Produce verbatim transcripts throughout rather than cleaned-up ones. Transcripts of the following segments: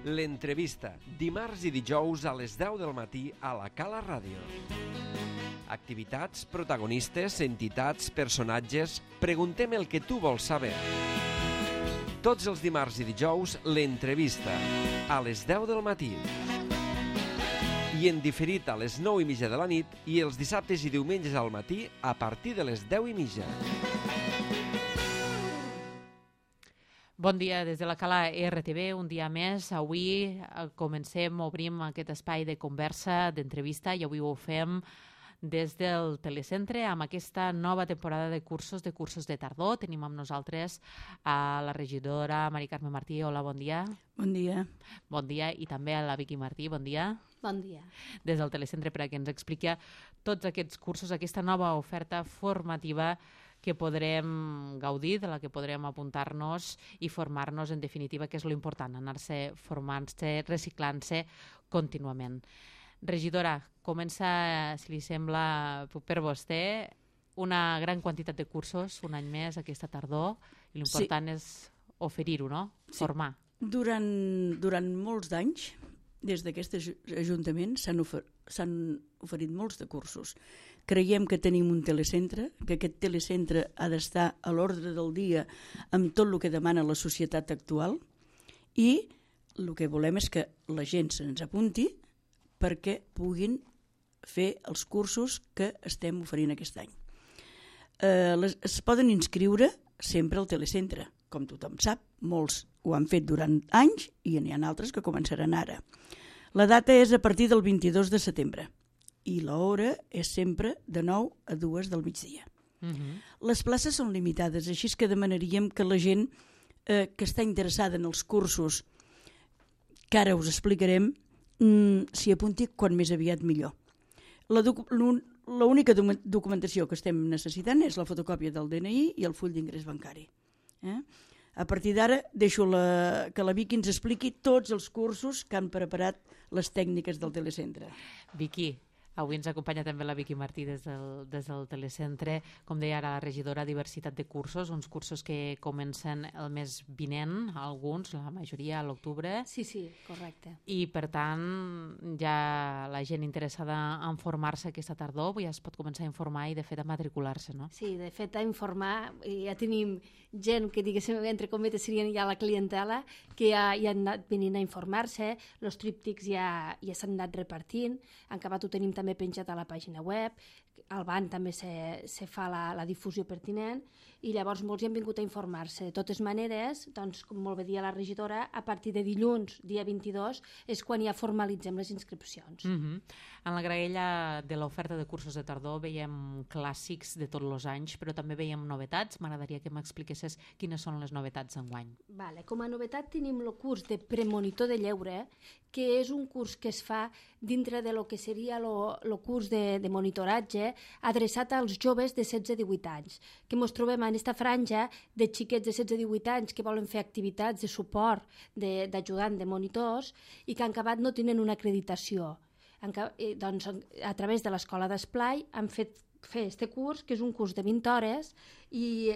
L'entrevista, dimarts i dijous a les deu del matí a la Cala Ràdio. Activitats, protagonistes, entitats, personatges... Preguntem el que tu vols saber. Tots els dimarts i dijous, l'entrevista, a les deu del matí. I en diferit a les nou i mitja de la nit i els dissabtes i diumenges al matí a partir de les deu i mitja. Bon dia des de la Cala R T V, un dia més. Avui comencem, obrim aquest espai de conversa, d'entrevista, i avui ho fem des del telecentre amb aquesta nova temporada de cursos, de cursos de tardor. Tenim amb nosaltres a la regidora Mari Carme Martí. Hola, bon dia. Bon dia. Bon dia, i també a la Vicky Martí. Bon dia. Bon dia. Des del telecentre, perquè ens expliqui tots aquests cursos, aquesta nova oferta formativa que podrem gaudir, de la que podrem apuntar-nos i formar-nos, en definitiva, que és l'important, anar-se formant-se, reciclant-se contínuament. Regidora, comença, si li sembla, per vostè, una gran quantitat de cursos, un any més, aquesta tardor, i l'important sí. és oferir-ho, no? Sí. Formar. Durant, durant molts d'anys, des d'aquest ajuntament, s'han ofer oferit molts de cursos. Creiem que tenim un telecentre, que aquest telecentre ha d'estar a l'ordre del dia amb tot el que demana la societat actual, i el que volem és que la gent se'ns apunti perquè puguin fer els cursos que estem oferint aquest any. Eh, les, es poden inscriure sempre al telecentre, com tothom sap, molts ho han fet durant anys i n'hi ha altres que començaran ara. La data és a partir del vint-i-dos de setembre i l'hora és sempre de nou a dues del migdia. Uh-huh. Les places són limitades, així que demanaríem que la gent eh, que està interessada en els cursos que ara us explicarem mm, s'hi apunti quan més aviat millor. La docu l'única documentació que estem necessitant és la fotocòpia del D N I i el full d'ingrés bancari. Eh? A partir d'ara deixo la, que la Vicky ens expliqui tots els cursos que han preparat les tècniques del telecentre. Vicky, avui ens acompanya també la Vicky Martí des del, des del telecentre. Com deia ara la regidora, diversitat de cursos, uns cursos que comencen el mes vinent, alguns, la majoria a l'octubre. Sí, sí, correcte. I per tant, ja la gent interessada en formar-se aquesta tardor ja es pot començar a informar i de fet a matricular-se, no? Sí, de fet a informar, ja tenim gent que, diguéssim, entre cometes serien ja la clientela, que ja, ja han anat venint a informar-se, els tríptics ja, ja s'han anat repartint, en acabat ho tenim també penjat a la pàgina web, al B A N també se, se fa la, la difusió pertinent, i llavors molts hi han vingut a informar-se. De totes maneres, doncs, com molt bé dia la regidora, a partir de dilluns, dia vint-i-dos, és quan ja formalitzem les inscripcions. Uh-huh. En la graella de l'oferta de cursos de tardor veiem clàssics de tots els anys, però també veiem novetats. M'agradaria que m'expliquessis quines són les novetats d'enguany. Vale. Com a novetat tenim el curs de premonitor de lleure, que és un curs que es fa dintre de lo que seria el curs de, de monitoratge adreçat als joves de setze a divuit anys, que ens trobem en aquesta franja de xiquets de setze a divuit anys que volen fer activitats de suport, d'ajudant, de, de monitors, i que en acabat no tenen una acreditació. En, doncs, a través de l'escola d'esplai han fet fer este curs, que és un curs de vint hores, i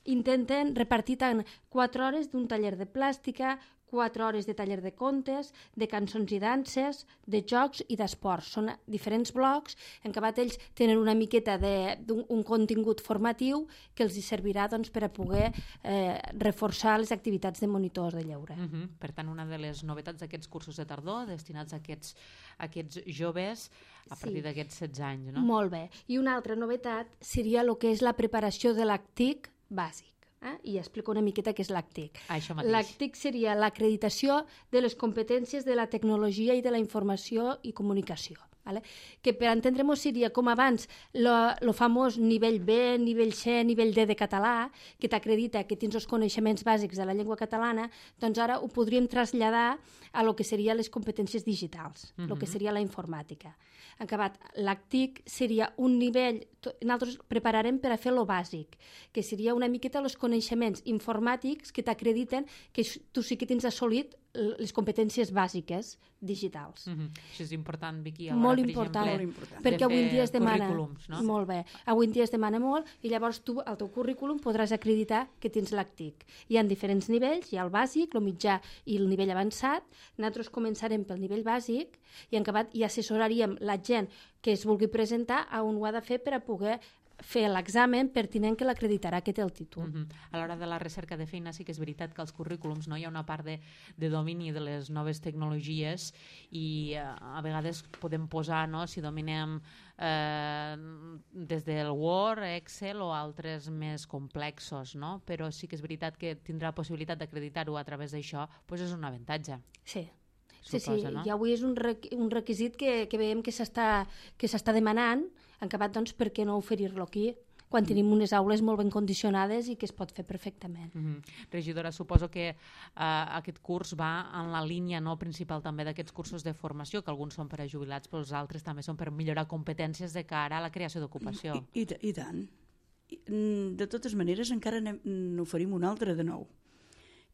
intenten repartir tant quatre hores d'un taller de plàstica, quatre hores de taller de contes, de cançons i danses, de jocs i d'esports. Són diferents blocs en què ells tenen una miqueta d'un contingut formatiu que els servirà doncs, per a poder eh, reforçar les activitats de monitors de lleure. Uh -huh. Per tant, una de les novetats d'aquests cursos de tardor destinats a aquests, a aquests joves a partir sí. d'aquests setze anys, no? Molt bé. I una altra novetat seria el que és la preparació de l'ACTIC bàsic. Eh? I explico una miqueta què és l'ACTIC. L'ACTIC seria l'acreditació de les competències de la tecnologia i de la informació i comunicació. Vale? Que per entendre-ho seria com abans el famós nivell B, nivell C, nivell D de català, que t'acredita que tens els coneixements bàsics de la llengua catalana, doncs ara ho podríem traslladar a lo que serien les competències digitals, el uh-huh. que seria la informàtica. En acabat, l'ACTIC seria un nivell nosaltres prepararem per a fer lo bàsic, que seria una miqueta els coneixements informàtics que t'acrediten que tu sí que tens assolit les competències bàsiques digitals. Mm-hmm. Això és important, Vicky. Molt important, molt important, perquè avui en dia es demana... No? Molt bé. Avui en dia es demana molt i llavors tu al teu currículum podràs acreditar que tens l'A C T I C. Hi ha diferents nivells, hi ha el bàsic, el mitjà i el nivell avançat. Nosaltres començarem pel nivell bàsic i en acabat i assessoraríem la gent que es vulgui presentar a on ho ha de fer per a poder fer l'examen pertinent que l'acreditarà que té el títol. Mm-hmm. A l'hora de la recerca de feina sí que és veritat que als currículums no hi ha una part de, de domini de les noves tecnologies i eh, a vegades podem posar, no?, si dominem eh, des del Word, Excel o altres més complexos, no? Però sí que és veritat que tindrà possibilitat d'acreditar-ho a través d'això, doncs és un avantatge. Sí. Suposa, sí, sí, no? i avui és un, requ un requisit que, que veiem que s'està que s'està demanant, en acabat, doncs, per què no oferir-lo aquí, quan tenim unes aules molt ben condicionades i que es pot fer perfectament. Mm-hmm. Regidora, suposo que uh, aquest curs va en la línia no, principal també d'aquests cursos de formació, que alguns són per a jubilats, però els altres també són per millorar competències de cara a la creació d'ocupació. I, i, I tant. De totes maneres, encara n'oferim un altre de nou,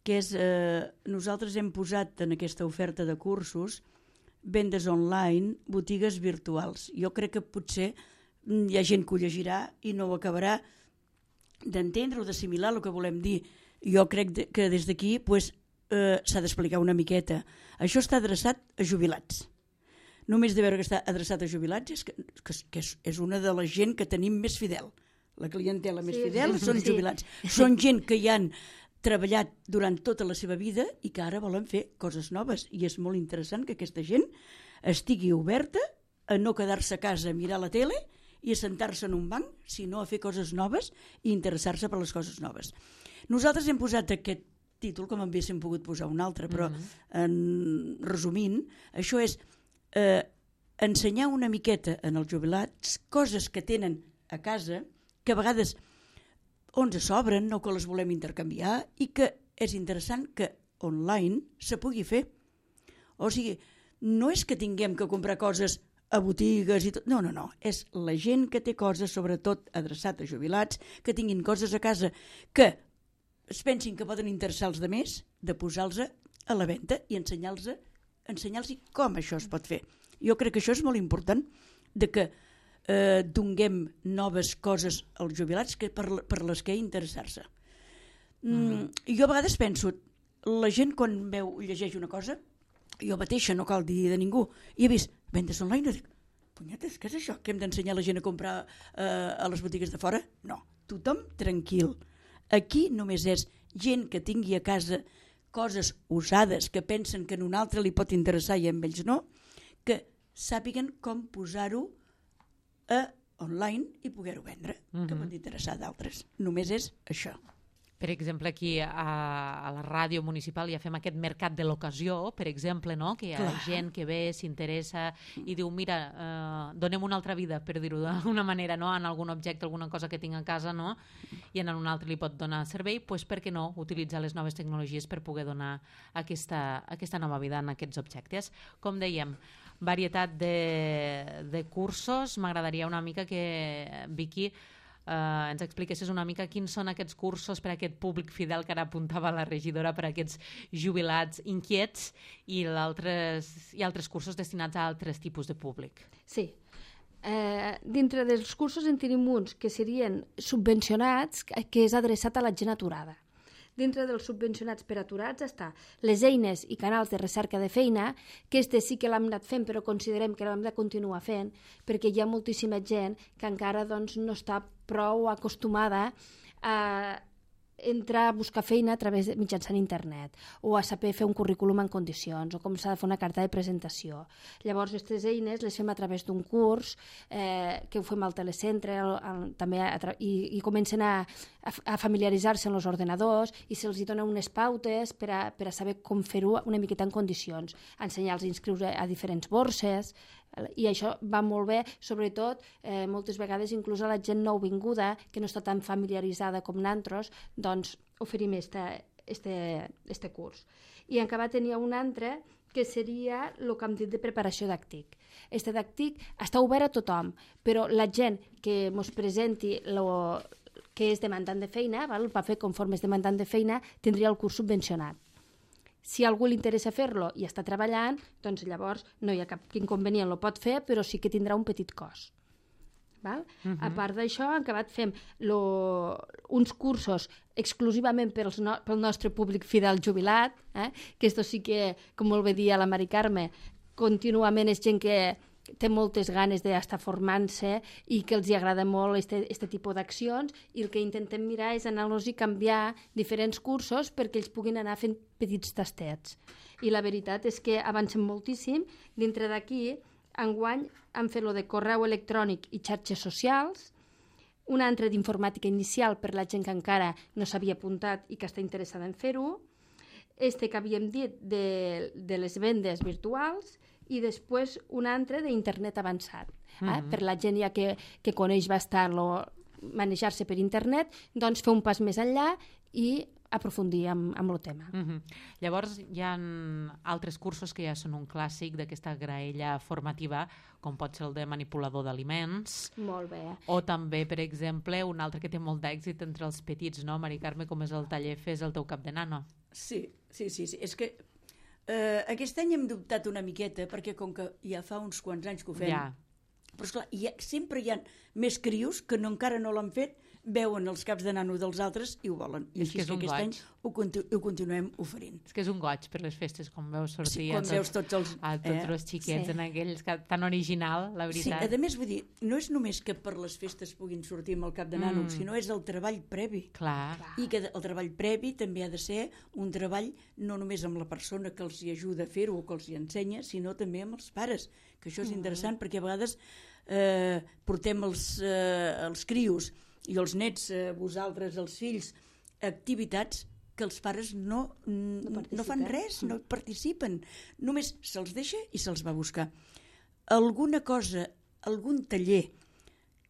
que és, eh, nosaltres hem posat en aquesta oferta de cursos vendes online, botigues virtuals. Jo crec que potser hi ha gent que ho llegirà i no ho acabarà d'entendre o d'assimilar el que volem dir. Jo crec de, que des d'aquí pues, eh, s'ha d'explicar una miqueta. Això està adreçat a jubilats. Només de veure que està adreçat a jubilats és que, que, que és, és una de la gent que tenim més fidel. La clientela més sí, fidel sí, són sí. jubilats. Són gent que hi han treballat durant tota la seva vida i que ara volen fer coses noves. I és molt interessant que aquesta gent estigui oberta a no quedar-se a casa a mirar la tele i a sentar-se en un banc, sinó a fer coses noves i interessar-se per les coses noves. Nosaltres hem posat aquest títol, com haguéssim pogut posar un altre, però mm-hmm. en, resumint, això és eh, ensenyar una miqueta en els jubilats coses que tenen a casa, que a vegades on se s'obren o que les volem intercanviar i que és interessant que online se pugui fer. O sigui, no és que tinguem que comprar coses a botigues i tot, no, no, no, és la gent que té coses, sobretot adreçat a jubilats, que tinguin coses a casa que es pensin que poden interessar els altres, de posar-los a la venda i ensenyar-los ensenyar-los com això es pot fer. Jo crec que això és molt important, de que eh, donguem noves coses als jubilats que per, per les que interessar-se. Mm, mm. Jo a vegades penso, la gent quan veu, llegeix una cosa, jo mateixa, no cal dir de ningú, i he vist vendes online, i dic, punyetes, què és això? Que hem d'ensenyar la gent a comprar eh, a les botigues de fora? No, tothom tranquil. Aquí només és gent que tingui a casa coses usades, que pensen que a un altre li pot interessar i a ells no, que sàpiguen com posar-ho a online i poder-ho vendre, mm-hmm. que pot interessar d'altres. Només és això. Per exemple, aquí a, a la ràdio municipal ja fem aquest mercat de l'ocasió, per exemple, no? Que hi ha Clar. gent que ve, s'interessa i diu, mira, eh, donem una altra vida, per dir-ho d'una manera, no? En algun objecte, alguna cosa que tinc a casa, no? I en un altre li pot donar servei, doncs per què no utilitzar les noves tecnologies per poder donar aquesta, aquesta nova vida en aquests objectes. Com dèiem, varietat de, de cursos. M'agradaria una mica que, Vicky, Uh, ens expliquessis una mica quins són aquests cursos per a aquest públic fidel que ara apuntava la regidora, per a aquests jubilats inquiets i, altres, i altres cursos destinats a altres tipus de públic. Sí. Eh, dintre dels cursos en tenim uns que serien subvencionats, que és adreçat a la gent aturada. Dintre dels subvencionats per aturats està les eines i canals de recerca de feina, que este sí que l'hem anat fent, però considerem que l'hem de continuar fent, perquè hi ha moltíssima gent que encara doncs, no està prou acostumada a entrar a buscar feina a través de mitjançant internet o a saber fer un currículum en condicions o com s'ha de fer una carta de presentació. Llavors, aquestes eines les fem a través d'un curs eh, que ho fem al telecentre el, el, també a tra i, i comencen a, a, a familiaritzar-se amb els ordenadors i se'ls dona unes pautes per a, per a saber com fer-ho una miqueta en condicions, ensenyar-los a inscriure a diferents borses, i això va molt bé, sobretot eh, moltes vegades inclús a la gent nouvinguda que no està tan familiaritzada com nosaltres, doncs oferim este, este, este curs. I en acabat tenia un altre que seria el que hem dit de preparació d'actic. Este d'actic està obert a tothom, però la gent que ens presenti lo que és demandant de feina, val? Va fer conforme és demandant de feina, tindria el curs subvencionat. Si a algú li interessa fer-lo i està treballant, doncs llavors no hi ha cap inconvenient, lo pot fer, però sí que tindrà un petit cost. Val? Uh-huh. A part d'això, en acabat fem lo, uns cursos exclusivament pels no, pel nostre públic fidel jubilat, eh? Que esto sí que, com molt bé dia la Mari Carme, contínuament és gent que té moltes ganes d'estar formant-se i que els agrada molt este, este tipus d'accions, i el que intentem mirar és anar-los i canviar diferents cursos perquè ells puguin anar fent petits tastets. I la veritat és que avancem moltíssim. Dintre d'aquí, enguany han fet lo de correu electrònic i xarxes socials, un altre d'informàtica inicial per la gent que encara no s'havia apuntat i que està interessada en fer-ho, este que havíem dit de, de les vendes virtuals, i després un altre d'internet avançat. Eh? Mm-hmm. Per la gent ja que, que coneix bastant lo, manejar-se per internet, doncs fer un pas més enllà i aprofundir amb, amb el tema. Mm-hmm. Llavors hi ha altres cursos que ja són un clàssic d'aquesta graella formativa, com pot ser el de manipulador d'aliments. Molt bé. O també, per exemple, un altre que té molt d'èxit entre els petits, no, Mari Carme, com és el taller Fes el teu cap de nano. Sí, sí, sí. sí. És que eh, aquest any hem dubtat una miqueta, perquè com que ja fa uns quants anys que ho fem, ja. Però esclar, hi ha, sempre hi ha més crios que no, encara no l'han fet, veuen els caps de nano dels altres i ho volen. I així és que aquest goig. Any ho, continu ho continuem oferint. És que és un goig per les festes, com veus sortir sí, quan a, tot, veus tots els, a tots eh? els xiquets sí. en aquells, tan original, la veritat. Sí, a més, vull dir, no és només que per les festes puguin sortir amb el cap de nano, mm. sinó és el treball previ. Clar. I que el treball previ també ha de ser un treball no només amb la persona que els hi ajuda a fer-ho o que els hi ensenya, sinó també amb els pares, que això és mm. interessant, perquè a vegades eh, portem els, eh, els crios i els nets, eh, vosaltres, els fills, activitats que els pares no, no, no fan res, no participen. Només se'ls deixa i se'ls va buscar. Alguna cosa, algun taller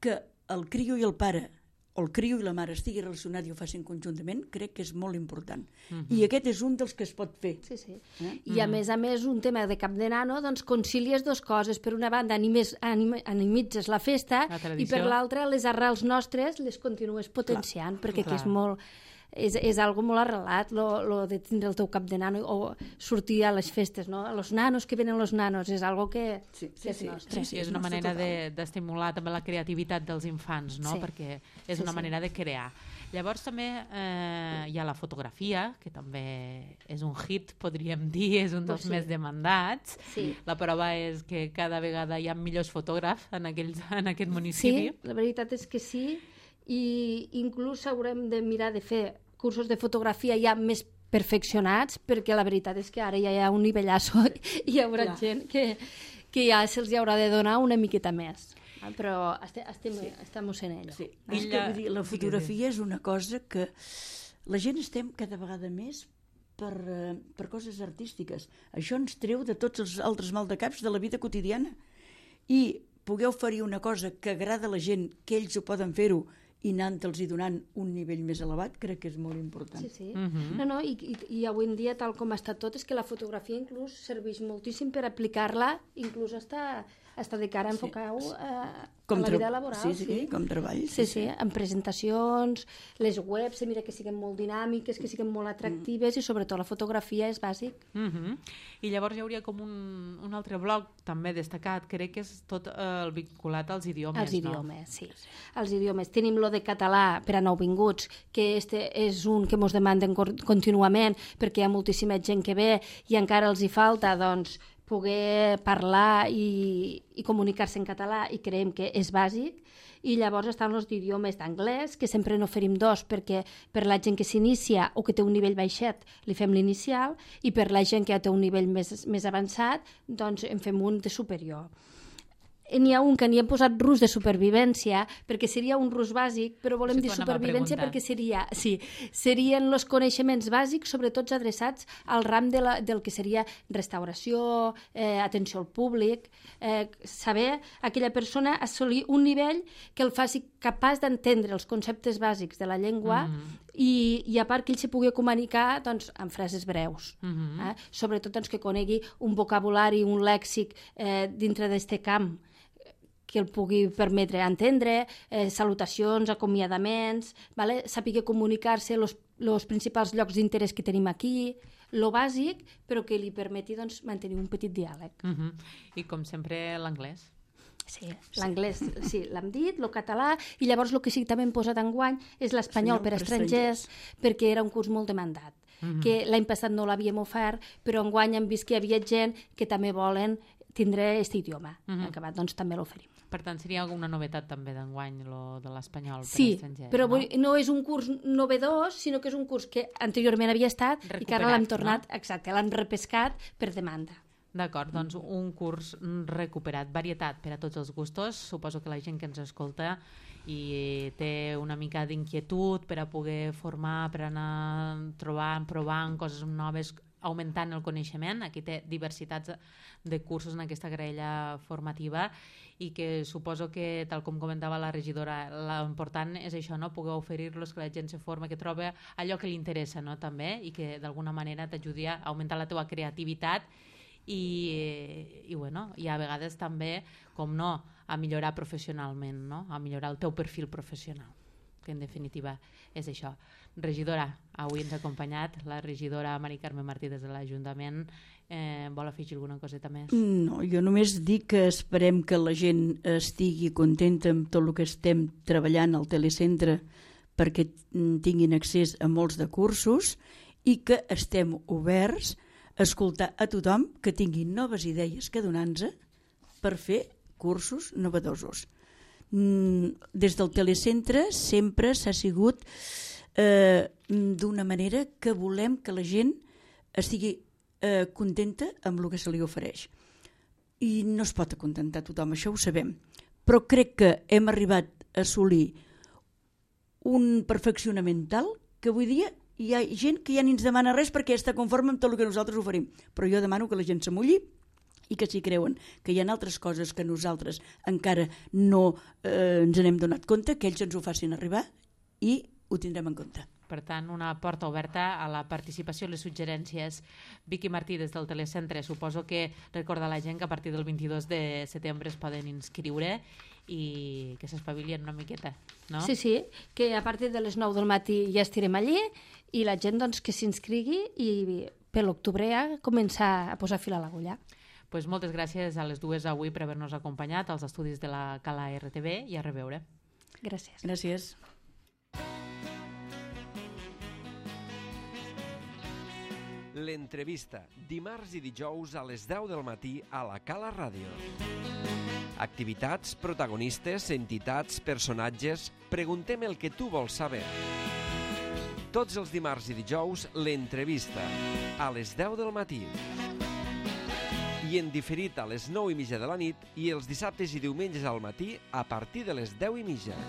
que el crio i el pare, o el crio i la mare estigui relacionat i ho facin conjuntament, crec que és molt important. Uh-huh. I aquest és un dels que es pot fer. Sí, sí. Eh? I a uh-huh. més a més, un tema de cap de nano, doncs concilies dues coses. Per una banda, animes, anim, animitzes la festa, la i per l'altra, les arrels nostres les continues potenciant, clar, perquè clar. Que és molt... És, és algo molt arrelat, lo, lo de tindre el teu cap de nano o sortir a les festes, no? Los nanos, que venen los nanos, és algo que, sí, sí, que és sí, nostre. Sí, sí, és una manera d'estimular de, també la creativitat dels infants, no? Sí. Perquè és una sí, manera sí. de crear. Llavors també eh, hi ha la fotografia, que també és un hit, podríem dir, és un dels pues sí. més demandats. Sí. La prova és que cada vegada hi ha millors fotògrafs en, aquells, en aquest municipi. Sí, la veritat és que sí, i inclús haurem de mirar de fer cursos de fotografia ja més perfeccionats, perquè la veritat és que ara ja hi ha un nivellasso i hi haurà Clar. gent que, que ja se'ls haurà de donar una miqueta més. Però estem, estem, sí. estem en ello. Sí. És que, vull dir, la fotografia és una cosa que la gent estem cada vegada més per, per coses artístiques. Això ens treu de tots els altres maldecaps de la vida quotidiana. I poder oferir una cosa que agrada a la gent, que ells ho poden fer-ho, i anant-los i donant un nivell més elevat, crec que és molt important. Sí, sí. Uh-huh. No, no, i, i, i avui en dia, tal com està tot, és que la fotografia inclús serveix moltíssim per aplicar-la, inclús està, està de cara a enfocar-ho sí. a, a la vida laboral. Sí, sí, sí, com treball. Sí, sí, sí, en presentacions, les webs, mira que siguin molt dinàmiques, que siguin molt atractives, mm. i sobretot la fotografia és bàsic. Uh-huh. I llavors hi hauria com un, un altre bloc també destacat, crec que és tot eh, el vinculat als idiomes, Els no? idiomes, sí. Els idiomes. Tenim lo de català per a nouvinguts, que este és un que ens demanden contínuament, perquè hi ha moltíssima gent que ve i encara els hi falta, doncs, poder parlar i, i comunicar-se en català, i creiem que és bàsic. I llavors estan els idiomes d'anglès, que sempre n'oferim dos, perquè per la gent que s'inicia o que té un nivell baixet li fem l'inicial, i per la gent que ja té un nivell més, més avançat, doncs en fem un de superior. N'hi ha un que n'hi hem posat rus de supervivència, perquè seria un rus bàsic, però volem dir supervivència perquè seria, sí, serien els coneixements bàsics, sobretot adreçats al ram de la, del que seria restauració, eh, atenció al públic, eh, saber aquella persona assolir un nivell que el faci capaç d'entendre els conceptes bàsics de la llengua, mm. i, i a part que ell se pugui comunicar doncs, amb frases breus. Mhm. eh? Sobretot doncs, que conegui un vocabulari, un lèxic eh, dintre d'este camp que el pugui permetre entendre, eh, salutacions, acomiadaments, vale? Sàpiga comunicar-se els principals llocs d'interès que tenim aquí, lo bàsic, però que li permeti doncs, mantenir un petit diàleg. Mhm. I com sempre l'anglès. Sí, l'anglès, sí, l'hem dit, el català, i llavors el que sí que també hem posat enguany és l'espanyol per a estrangers, perquè era un curs molt demandat, Mhm. que l'any passat no l'havíem ofert, però enguany hem vist que hi havia gent que també volen tindre aquest idioma. Mhm. En acabat, doncs, també l'oferim. Per tant, seria alguna novetat també d'enguany, lo de l'espanyol per Sí, a estrangers, però no? vull, no és un curs novedós, sinó que és un curs que anteriorment havia estat i que ara Recuperat, l'hem tornat, no? exacte, l'hem repescat per demanda. D'acord, doncs un curs recuperat, varietat per a tots els gustos. Suposo que la gent que ens escolta i té una mica d'inquietud per a poder formar, per anar trobant, provant coses noves, augmentant el coneixement. Aquí té diversitats de cursos en aquesta graella formativa i que suposo que, tal com comentava la regidora, l'important és això, no? Poder oferir-los, que la gent se forma, que troba allò que li interessa, no? També, i que d'alguna manera t'ajudi a augmentar la teva creativitat i, i, bueno, i a vegades també, com no, a millorar professionalment, no? A millorar el teu perfil professional, que en definitiva és això. Regidora, avui ens ha acompanyat la regidora Mari Carme Martí des de l'Ajuntament. Eh, vol afegir alguna coseta més? No, jo només dic que esperem que la gent estigui contenta amb tot el que estem treballant al telecentre perquè tinguin accés a molts de cursos i que estem oberts a escoltar a tothom que tingui noves idees que donar-nos per fer cursos novedosos. Des del telecentre sempre s'ha sigut eh, d'una manera que volem que la gent estigui eh, contenta amb el que se li ofereix. I no es pot acontentar tothom, això ho sabem. Però crec que hem arribat a assolir un perfeccionament tal que avui dia hi ha gent que ja ni ens demana res perquè està conforme amb tot el que nosaltres oferim. Però jo demano que la gent s'amulli i que si creuen que hi ha altres coses que nosaltres encara no eh, ens n'hem donat compte, que ells ens ho facin arribar i ho tindrem en compte. Per tant, una porta oberta a la participació i les suggerències. Vicky Martí, des del telecentre, suposo que recorda a la gent que a partir del vint-i-dos de setembre es poden inscriure i que s'espavilien una miqueta, no? Sí, sí, que a partir de les nou del matí ja estirem allí i la gent doncs, que s'inscrigui i per l'octubre ja començar a posar fil a l'agulla. Pues moltes gràcies a les dues avui per haver-nos acompanyat als estudis de la Cala R T V i a reveure. Gràcies. Gràcies. L'entrevista, dimarts i dijous a les deu del matí a la Cala Ràdio. Activitats, protagonistes, entitats, personatges... Preguntem el que tu vols saber. Tots els dimarts i dijous, l'entrevista, a les deu del matí. I en diferit a les nou i mitja de la nit i els dissabtes i diumenges al matí a partir de les deu i mitja.